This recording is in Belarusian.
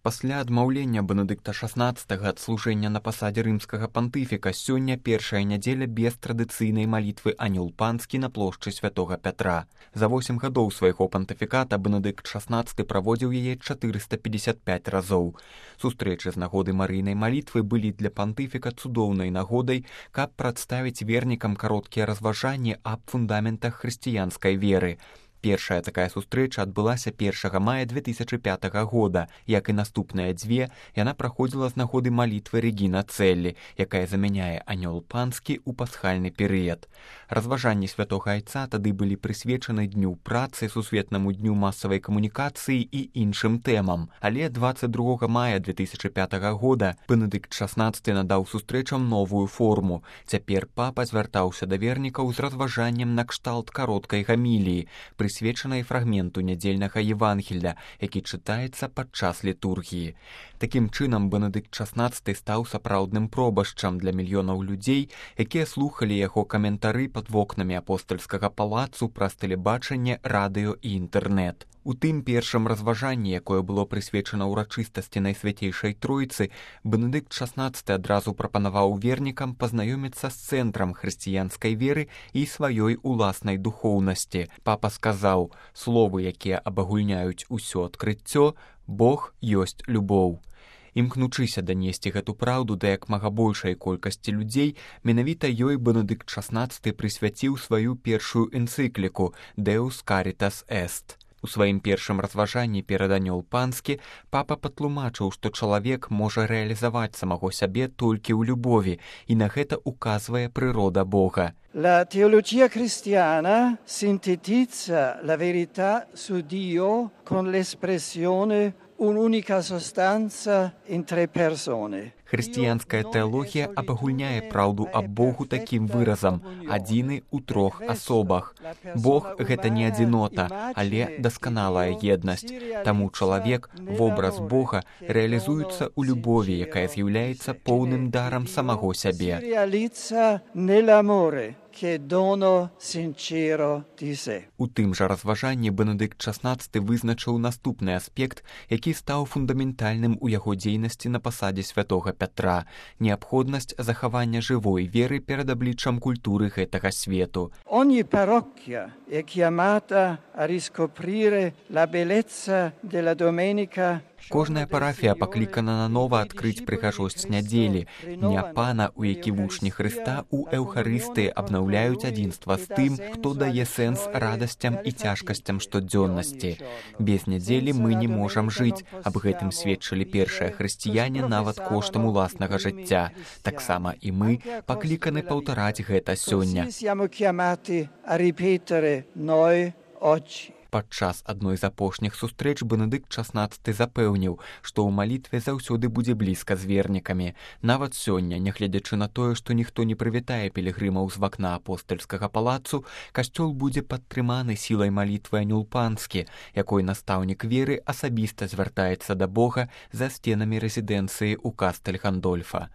Пасля адмаўлення Бенедыкта XVI ад служэння на пасадзе рымскага пантыфіка сёння першая нядзеля без традыцыйнай малітвы Анёл Панскі на плошчы святога Пятра. За 8 гадоў свайго пантыфіката Бенедыкт XVI праводзіў яе 455 разоў. Сустрэчы з нагоды марыйнай малітвы былі для пантыфіка цудоўнай нагодай, каб прадставіць вернікам кароткія разважанні аб фундаментах хрысціянскай веры. Першая такая сустрэча адбылася 1 мая 2005 года. Як і наступныя дзве, яна праходзіла з нагоды малітвы Рэгіна Цэллі, якая замяняе Анёл Панскі ў пасхальны перыяд. Разважанні святога айца тады былі прысвечаны дню працы, сусветнаму дню масавай камунікацыі і іншым тэмам. Але 22 мая 2005 года Бенедыкт XVI надаў сустрэчам новую форму. Цяпер папа звяртаўся да вернікаў з разважаннем накшталт кароткай гаміліі, прысвечанай фрагменту нядзельнага Евангелля, які чытаецца падчас літургіі. Такім чынам, Бенедыкт XVI стаў сапраўдным пробашчам для мільёнаў людзей, якія слухалі яго каментары пад вокнамі апостальскага палацу праз тэлебачанне, радыё і інтэрнэт. У тым першым разважанні, якое было прысвечана ўрачыстасці Найсвяцейшай Тройцы, Бенедыкт XVI адразу прапанаваў вернікам пазнаёміцца з цэнтрам хрысціянскай веры і сваёй уласнай духоўнасці. Папа сказаў: «Словы, якія абагульняюць усё адкрыццё, Бог ёсць любоў». Імкнучыся данесці гэту праўду да як мага большай колькасці людзей, менавіта ёй Бенедыкт XVI прысвяціў сваю першую энцыкліку «Deus Caritas Est». У сваім першым разважанні перад Анёл Панскі папа патлумачыў, што чалавек можа рэалізаваць самого сябе толькі ў любові, і на гэта указвае прырода Бога. La teologia cristiana sintetizza la verità su Dio con l'espressione un'unica sostanza in tre persone. Хрысціянская тэалогія абагульняе праўду аб Богу такім выразам: адзіны ў трох асобах. Бог — гэта не адзінота, але дасканалая еднасць. Таму чалавек, вобраз Бога, рэалізуецца ў любові, якая з'яўляецца поўным дарам самого сябе. У тым жа разважанні Бенедыкт XVI вызначыў наступны аспект, які стаў фундаментальным у яго дзейнасці на пасадзе святога Пятра — неабходнасць захавання жывой веры перад абліччам культуры гэтага свету. Ogni parrocchia è chiamata a riscoprire la bellezza della domenica. Кожная парафія паклікана нанова адкрыць прыгажосць нядзелі, дня Пана, у які вучні Хрыста ў Эўхарыстыі абнаўляюць адзінства з тым, хто дае сэнс радасцям і цяжкасцям штодзённасці. Без нядзелі мы не можам жыць, аб гэтым сведчылі першыя хрысціяне нават коштам уласнага жыцця. Таксама і мы пакліканы паўтараць гэта сёння. Падчас адной з апошніх сустрэч Бенедыкт XVI запэўніў, што ў малітве заўсёды будзе блізка з вернікамі. Нават сёння, нягледзячы на тое, што ніхто не прывітае пілігрымаў з вакна апостальскага палацу, касцёл будзе падтрыманы сілай малітвы Анёл Панскі, якой настаўнік веры асабіста звяртаецца да Бога за сценамі рэзідэнцыі ў Кастэль-Гандольфа.